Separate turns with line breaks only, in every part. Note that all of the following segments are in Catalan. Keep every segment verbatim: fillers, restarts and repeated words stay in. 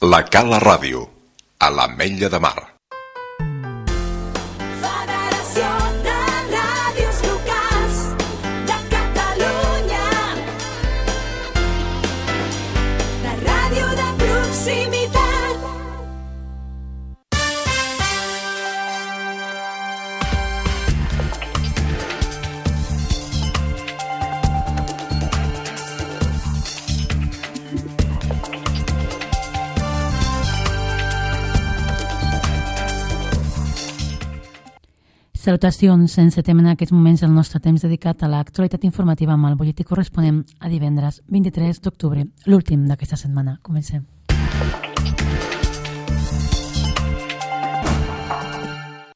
La Cala Ràdio, a l'Ametlla de Mar.
Federació de Ràdios Locals de Catalunya. La ràdio de proximitat.
Salutacions, encetem en aquests moments el nostre temps dedicat a l'actualitat informativa amb el butlletí corresponent a divendres vint-i-tres d'octubre, l'últim d'aquesta setmana. Comencem.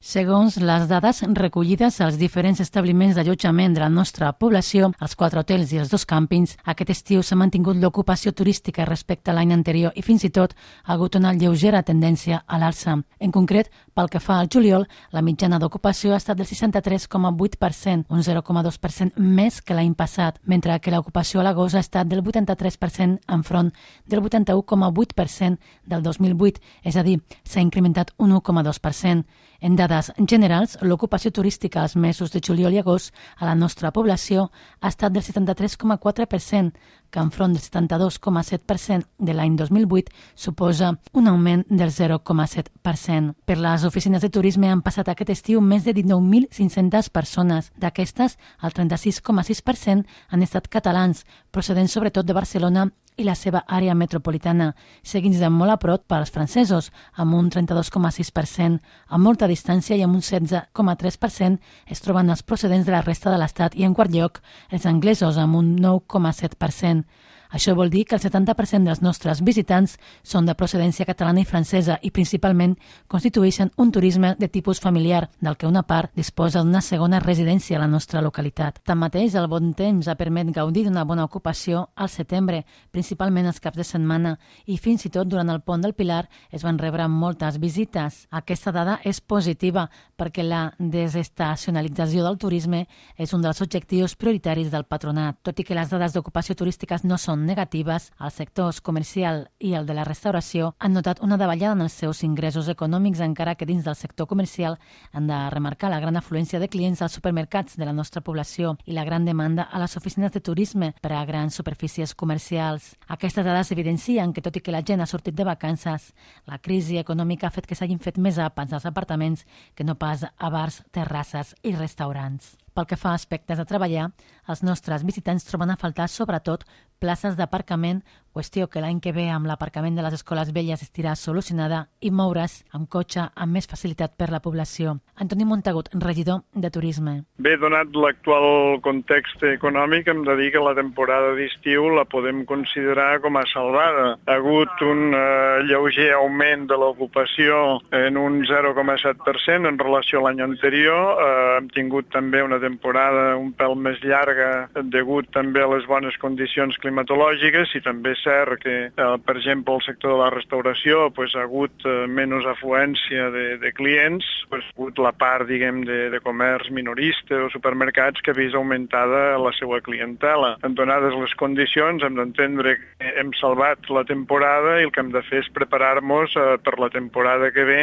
Segons les dades recollides als diferents establiments d'allotjament de la nostra població, els quatre hotels i els dos càmpings, aquest estiu s'ha mantingut l'ocupació turística respecte a l'any anterior i fins i tot ha hagut una lleugera tendència a l'alça. En concret, pel que fa al juliol, la mitjana d'ocupació ha estat del seixanta-tres coma vuit per cent, un zero coma dos per cent més que l'any passat, mentre que l'ocupació a l'agost ha estat del vuitanta-tres per cent enfront del vuitanta-u coma vuit per cent del dos mil vuit, és a dir, s'ha incrementat un u coma dos per cent. En dades generals, l'ocupació turística als mesos de juliol i agost a la nostra població ha estat del setanta-tres coma quatre per cent, que enfront del setanta-dos coma set per cent de l'any dos mil vuit suposa un augment del zero coma set per cent. Per les oficines de turisme han passat aquest estiu més de dinou mil cinc-centes persones. D'aquestes, el trenta-sis coma sis per cent han estat catalans, procedents sobretot de Barcelona i la seva àrea metropolitana, seguits de molt a prop pels francesos, amb un trenta-dos coma sis per cent. A molta distància i amb un setze coma tres per cent es troben els procedents de la resta de l'Estat i, en quart lloc, els anglesos, amb un nou coma set per cent. Això vol dir que el setanta per cent dels nostres visitants són de procedència catalana i francesa i principalment constitueixen un turisme de tipus familiar, del que una part disposa d'una segona residència a la nostra localitat. Tanmateix, el bon temps ha permet gaudir d'una bona ocupació al setembre, principalment els caps de setmana, i fins i tot durant el pont del Pilar es van rebre moltes visites. Aquesta dada és positiva perquè la desestacionalització del turisme és un dels objectius prioritaris del patronat. Tot i que les dades d'ocupació turística no són negatives, els sectors comercial i el de la restauració han notat una davallada en els seus ingressos econòmics, encara que dins del sector comercial han de remarcar la gran afluència de clients als supermercats de la nostra població i la gran demanda a les oficines de turisme per a grans superfícies comercials. Aquestes dades evidencien que, tot i que la gent ha sortit de vacances, la crisi econòmica ha fet que s'hagin fet més àpats als apartaments que no pas a bars, terrasses i restaurants. Pel que fa a aspectes a treballar, els nostres visitants troben a faltar sobretot places d'aparcament, qüestió que l'any que ve amb l'aparcament de les escoles velles estirà solucionada, i moure's amb cotxe amb més facilitat per la població. Antoni Montagut, regidor de Turisme.
Bé, donat l'actual context econòmic, hem de dir que la temporada d'estiu la podem considerar com a salvada. Ha hagut un eh, lleuger augment de l'ocupació en un zero coma set per cent en relació a l'any anterior. Eh, hem tingut també una temporada un pèl més llarga degut també a les bones condicions climatològiques i també és cert que, eh, per exemple, el sector de la restauració pues, ha hagut eh, menys afluència de, de clients, pues, ha hagut la part, diguem, de, de comerç minorista o supermercats que ha vist augmentada la seva clientela. En donades les condicions hem d'entendre que hem salvat la temporada i el que hem de fer és preparar-nos eh, per la temporada que ve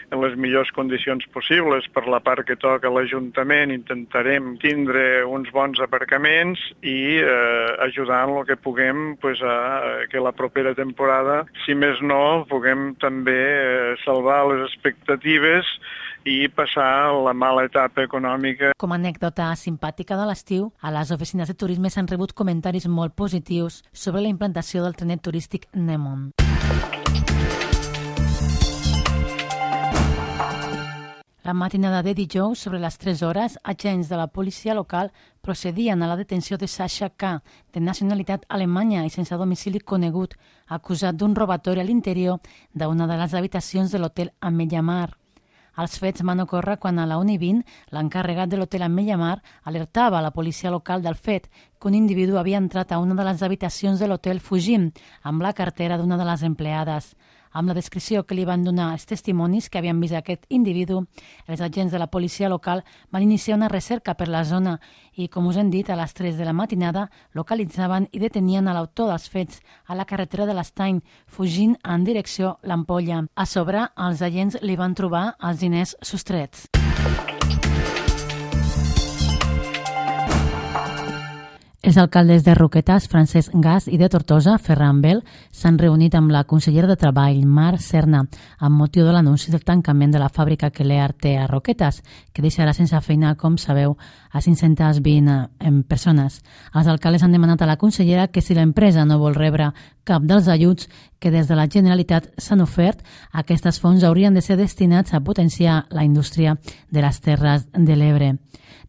en les millors condicions possibles. Per la part que toca l'Ajuntament intentarem tindre uns bons aparcaments i eh, ajudar en el que puguem pues, a que la propera temporada, si més no, puguem també eh, salvar les expectatives i passar la mala etapa econòmica.
Com a anècdota simpàtica de l'estiu, a les oficines de turisme s'han rebut comentaris molt positius sobre la implantació del trenet turístic Nemon. La matinada de dijous, sobre les tres hores, agents de la policia local procedien a la detenció de Sasha K., de nacionalitat alemanya i sense domicili conegut, acusat d'un robatori a l'interior d'una de les habitacions de l'hotel Ametlla Mar. Els fets van ocórrer quan a la una i vint l'encarregat de l'hotel Ametlla Mar alertava a la policia local del fet que un individu havia entrat a una de les habitacions de l'hotel fugint amb la cartera d'una de les empleades. Amb la descripció que li van donar els testimonis que havien vist aquest individu, els agents de la policia local van iniciar una recerca per la zona i, com us hem dit, a les tres de la matinada localitzaven i detenien a l'autor dels fets a la carretera de l'Estany, fugint en direcció l'Ampolla. A sobre, els agents li van trobar els diners sostrets. Els alcaldes de Roquetes, Francesc Gas, i de Tortosa, Ferran Bel, s'han reunit amb la consellera de Treball, Mar Serna, amb motiu de l'anunci del tancament de la fàbrica que l'E A R té a Roquetes, que deixarà sense feina, com sabeu, a cinc-centes vint persones. Els alcaldes han demanat a la consellera que si l'empresa no vol rebre cap dels ajuts que des de la Generalitat s'han ofert, aquests fons haurien de ser destinats a potenciar la indústria de les Terres de l'Ebre.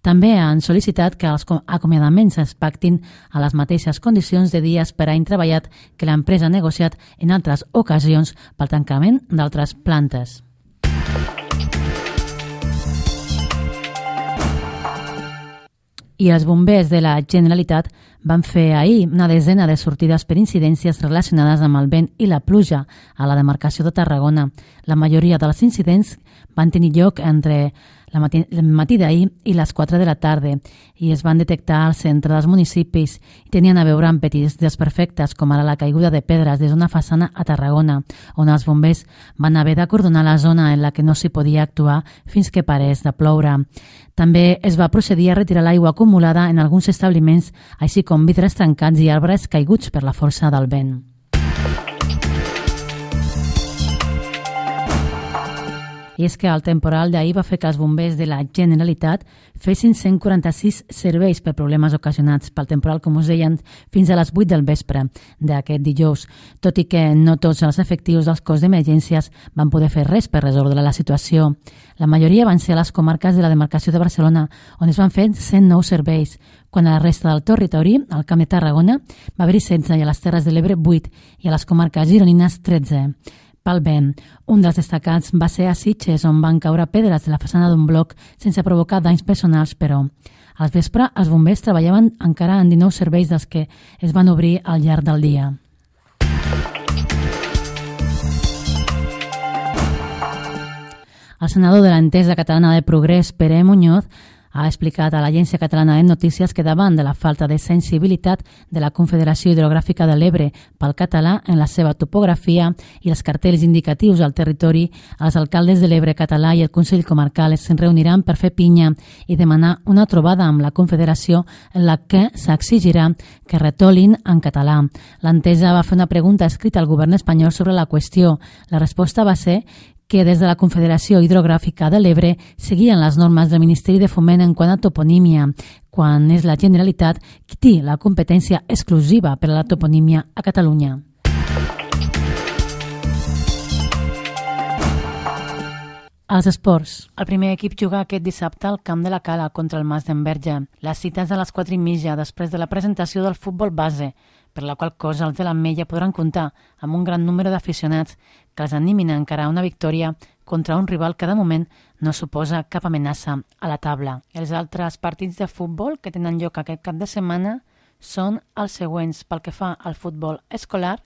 També han sol·licitat que els acomiadaments es pactin a les mateixes condicions de dies per any treballat que l'empresa ha negociat en altres ocasions pel tancament d'altres plantes. I els bombers de la Generalitat van fer ahir una desena de sortides per incidències relacionades amb el vent i la pluja a la demarcació de Tarragona. La majoria dels incidents van tenir lloc entre el matí, matí d'ahir i les quatre de la tarda i es van detectar al centre dels municipis i tenien a veure amb petits desperfectes, com ara la caiguda de pedres des d'una façana a Tarragona, on els bombers van haver d'acordonar la zona en la que no s'hi podia actuar fins que parés de ploure. També es va procedir a retirar l'aigua acumulada en alguns establiments, així com vidres trencats i arbres caiguts per la força del vent. I és que el temporal d'ahir va fer que els bombers de la Generalitat fessin cent quaranta-sis serveis per problemes ocasionats pel temporal, com us deien, fins a les vuit del vespre d'aquest dijous, tot i que no tots els efectius dels cos d'emergències van poder fer res per resoldre la situació. La majoria van ser a les comarques de la demarcació de Barcelona, on es van fer cent nou serveis, quan a la resta del territori, al Camp de Tarragona, va haver-hi setze i a les Terres de l'Ebre vuit i a les comarques gironines tretze. Pel vent, un dels destacats va ser a Sitges, on van caure pedres de la façana d'un bloc sense provocar danys personals, però al vespre els bombers treballaven encara en dinou serveis dels que es van obrir al llarg del dia. El senador de l'Entesa Catalana de Progrés, Pere Muñoz, ha explicat a l'Agència Catalana de Notícies que davant de la falta de sensibilitat de la Confederació Hidrogràfica de l'Ebre pel català en la seva topografia i els cartells indicatius al territori, els alcaldes de l'Ebre català i el Consell Comarcal es reuniran per fer pinya i demanar una trobada amb la Confederació en la que s'exigirà que retolin en català. L'Entesa va fer una pregunta escrita al govern espanyol sobre la qüestió. La resposta va ser que des de la Confederació Hidrogràfica de l'Ebre seguien les normes del Ministeri de Foment en quant a toponímia, quan és la Generalitat qui té la competència exclusiva per a la toponímia a Catalunya. Els esports. El primer equip juga aquest dissabte al Camp de la Cala contra el Mas d'Enverge. Les cites a les quatre i mitja després de la presentació del futbol base, per la qual cosa els de l'Ametlla podran comptar amb un gran número d'aficionats que els animin a encarar una victòria contra un rival que de moment no suposa cap amenaça a la taula. Els altres partits de futbol que tenen lloc aquest cap de setmana són els següents. Pel que fa al futbol escolar,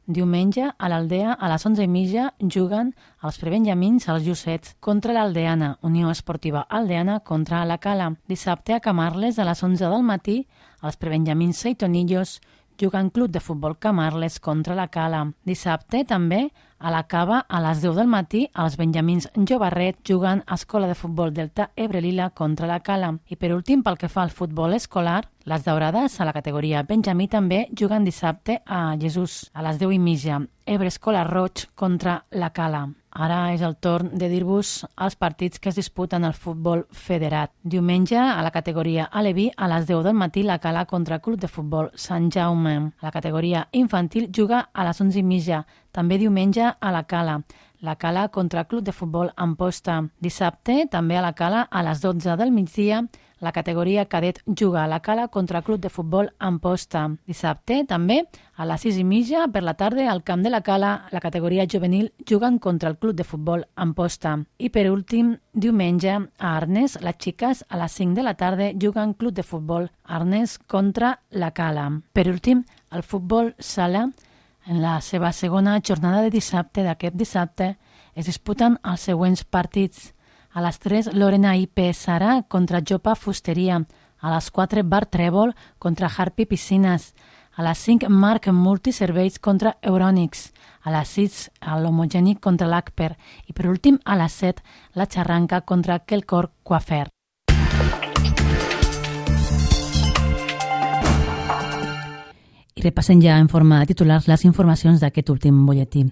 diumenge a l'Aldea a les onze i mitja juguen els prebenjamins als Llucets contra l'Aldeana, Unió Esportiva Aldeana contra la Cala. Dissabte a Camarles a les onze del matí els prebenjamins Seitonillos juguen Club de Futbol Camarles contra la Cala. Dissabte també a la Cava a les deu del matí els benjamins Jovarret juguen a Escola de Futbol Delta Ebre-Lila contra la Cala. I per últim, pel que fa al futbol escolar, les daurades a la categoria benjamí també juguen dissabte a Jesús a les deu i mitja. Ebre Escola Roig contra la Cala. Ara és el torn de dir-vos els partits que es disputen al futbol federat. Diumenge, a la categoria aleví, a les deu del matí, la Cala contra el Club de Futbol Sant Jaume. La categoria infantil juga a les onze i mitja. També diumenge a la Cala. La Cala contra el Club de Futbol Amposta. Dissabte, també a la Cala, a les dotze del migdia, la categoria cadet juga a la Cala contra el Club de Futbol Amposta. Dissabte, també, a les sis i mitja per la tarda, al Camp de la Cala, la categoria juvenil juguen contra el Club de Futbol Amposta. I per últim, diumenge, a Arnes, les xiques, a les cinc de la tarda, juguen Club de Futbol Arnes contra la Cala. Per últim, el futbol sala, En la seva segona jornada de dissabte d'aquest dissabte es disputen els següents partits. A les tres, Lorena I P Sara contra Jopa Fusteria. A les quatre, Bar Trèvol contra Harpy Piscines. A les cinc, Marc Multiserveis contra Euronics. A les sis, l'Homogènic contra l'Acper. I per últim, a les set, la Xarranca contra Quelcor Coafer. I repassem ja en forma de titulars les informacions d'aquest últim butlletí.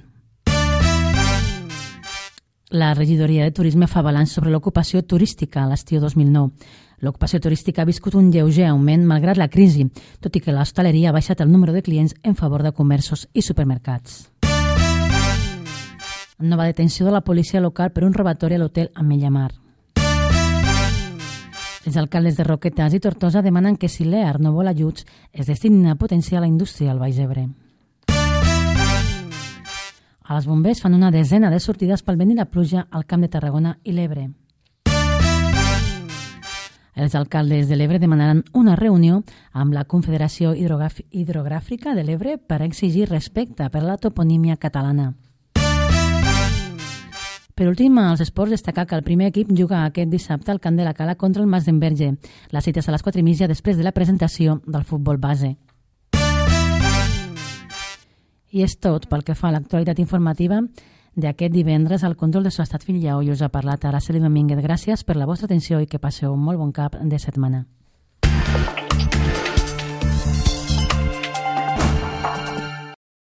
La regidoria de Turisme fa balanç sobre l'ocupació turística a l'estiu dos mil nou. L'ocupació turística ha viscut un lleuger augment malgrat la crisi, tot i que l'hostaleria ha baixat el número de clients en favor de comerços i supermercats. Nova detenció de la policia local per un robatori a l'hotel Ametlla Mar. Els alcaldes de Roquetes i Tortosa demanen que si l'E A R no vol ajuts es destinin a potenciar la indústria al Baix Ebre. A les bombers fan una desena de sortides pel vent i la pluja al Camp de Tarragona i l'Ebre. Els alcaldes de l'Ebre demanaran una reunió amb la Confederació Hidrogràfica de l'Ebre per exigir respecte per la toponímia catalana. Per últim, als esports, destacar que el primer equip juga aquest dissabte al Camp de la Cala contra el Mas d'Enverge. La cita és a les quatre i mitja després de la presentació del futbol base. I és tot pel que fa a l'actualitat informativa d'aquest divendres. Al control de Estat Filiau i us ha parlat Araceli Domínguez. Gràcies per la vostra atenció i que passeu un molt bon cap de setmana.